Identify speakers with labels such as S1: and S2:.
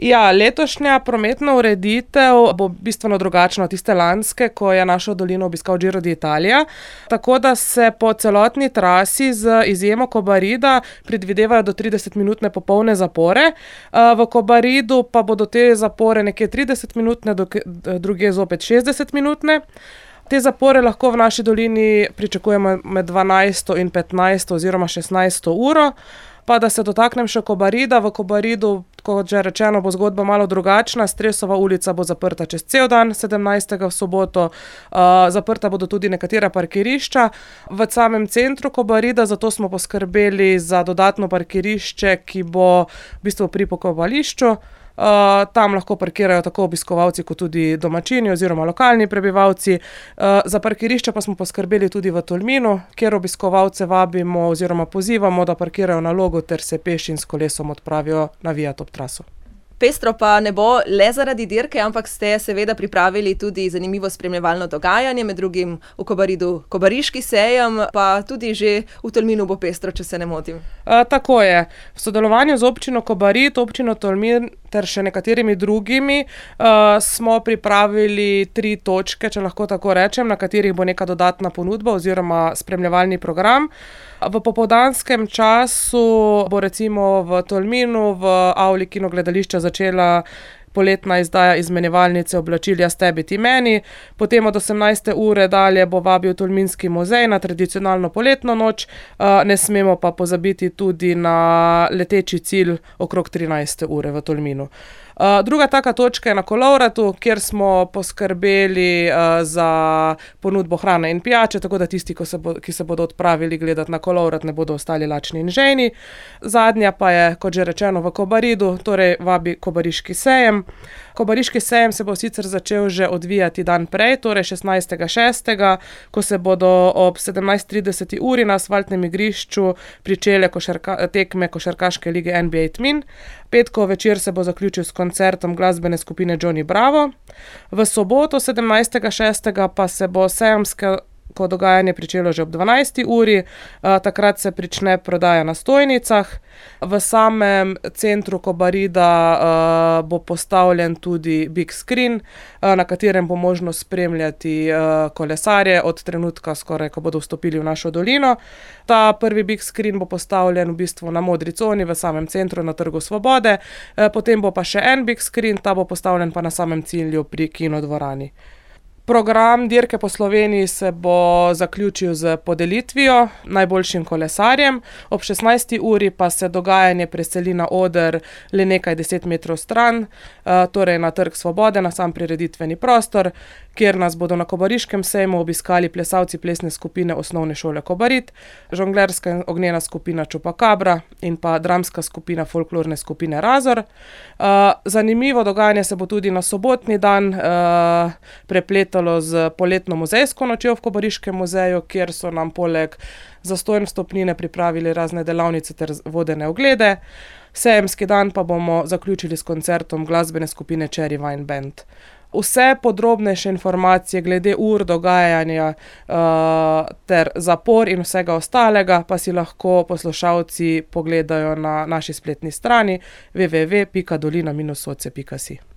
S1: Ja, letošnja prometna ureditev bo bistveno drugačna od tiste lanske, ko je našo dolino obiskal Giro d'Italia. Tako da se po celotni trasi z izjemo Kobarida predvidevajo do 30-minutne popolne zapore. V Kobaridu pa bodo te zapore nekje 30-minutne, drugje zopet 60-minutne. Te zapore lahko v naši dolini pričakujemo med 12. in 15. oziroma 16. uro. Pa da se dotaknem še Kobarida. V Kobaridu, kot že rečeno, bo zgodba malo drugačna. Stresova ulica bo zaprta čez cel dan, 17. v soboto. Zaprta bodo tudi nekatera parkirišča v samem centru Kobarida, zato smo poskrbeli za dodatno parkirišče, ki bo v bistvu pri pokopališču. Tam lahko parkirajo tako obiskovalci kot tudi domačini oziroma lokalni prebivalci. Za parkirišče pa smo poskrbeli tudi v Tolminu, kjer obiskovalce vabimo oziroma pozivamo, da parkirajo na Logu ter se peš in s kolesom odpravijo navijat ob traso.
S2: Pestro pa ne bo le zaradi dirke, ampak ste seveda pripravili tudi zanimivo spremljevalno dogajanje, med drugim v Kobaridu Kobariški sejem, pa tudi že v Tolminu bo pestro, če se ne motim.
S1: Tako je. V sodelovanju z občino Kobarid, občino Tolmin ter še nekaterimi drugimi smo pripravili 3 točke, če lahko tako rečem, na katerih bo neka dodatna ponudba oziroma spremljevalni program. V popoldanskem času bo recimo v Tolminu v avli kinogledališča začela poletna izdaja izmenjevalnice oblačil Jaz tebi ti meni. Potem od 18. ure dalje bo vabil Tolminski muzej na tradicionalno poletno noč. Ne smemo pa pozabiti tudi na leteči cilj okrog 13. ure v Tolminu. Druga taka točka je na Kolovratu, kjer smo poskrbeli za ponudbo hrane in pijače, tako da tisti, ki se bodo odpravili gledati na Kolovrat, ne bodo ostali lačni in žejni. Zadnja pa je, kot že rečeno, v Kobaridu, torej vabi Kobariški sejem. Kobariški sejem se bo sicer začel že odvijati dan prej, torej 16.6., ko se bodo ob 17.30 uri na asfaltnem igrišču pričele tekme košarkaške lige NBA Tmin. Petkov večer se bo zaključil s koncertom glasbene skupine Johnny Bravo. V soboto 17.6. pa se bo sejemsko dogajanje pričelo že ob 12. uri. Takrat se prične prodaja na stojnicah. V samem centru Kobarida bo postavljen tudi big screen, na katerem bo možno spremljati kolesarje od trenutka skoraj, ko bodo vstopili v našo dolino. Ta prvi big screen bo postavljen v bistvu na modri coni v samem centru na Trgu Svobode. Potem bo pa še en big screen, ta bo postavljen pa na samem cilju pri kinodvorani. Program dirke po Sloveniji se bo zaključil z podelitvijo najboljšim kolesarjem. Ob 16. uri pa se dogajanje preseli na oder le nekaj 10 metrov stran, torej na Trg Svobode, na sam prireditveni prostor, kjer nas bodo na Kobariškem sejmu obiskali plesalci plesne skupine Osnovne šole Kobarid, žonglerska in ognjena skupina Čupakabra in pa dramska skupina folklorne skupine Razor. Zanimivo dogajanje se bo tudi na sobotni dan prepletalo z poletno muzejsko nočjo v Kobariškem muzeju, kjer so nam poleg zastonj vstopnine pripravili razne delavnice ter vodene oglede. Sejemski dan pa bomo zaključili s koncertom glasbene skupine Cherry Wine Band. Vse podrobnejše informacije glede ur dogajanja ter zapor in vsega ostalega pa si lahko poslušalci pogledajo na naši spletni strani www.dolina-soce.si.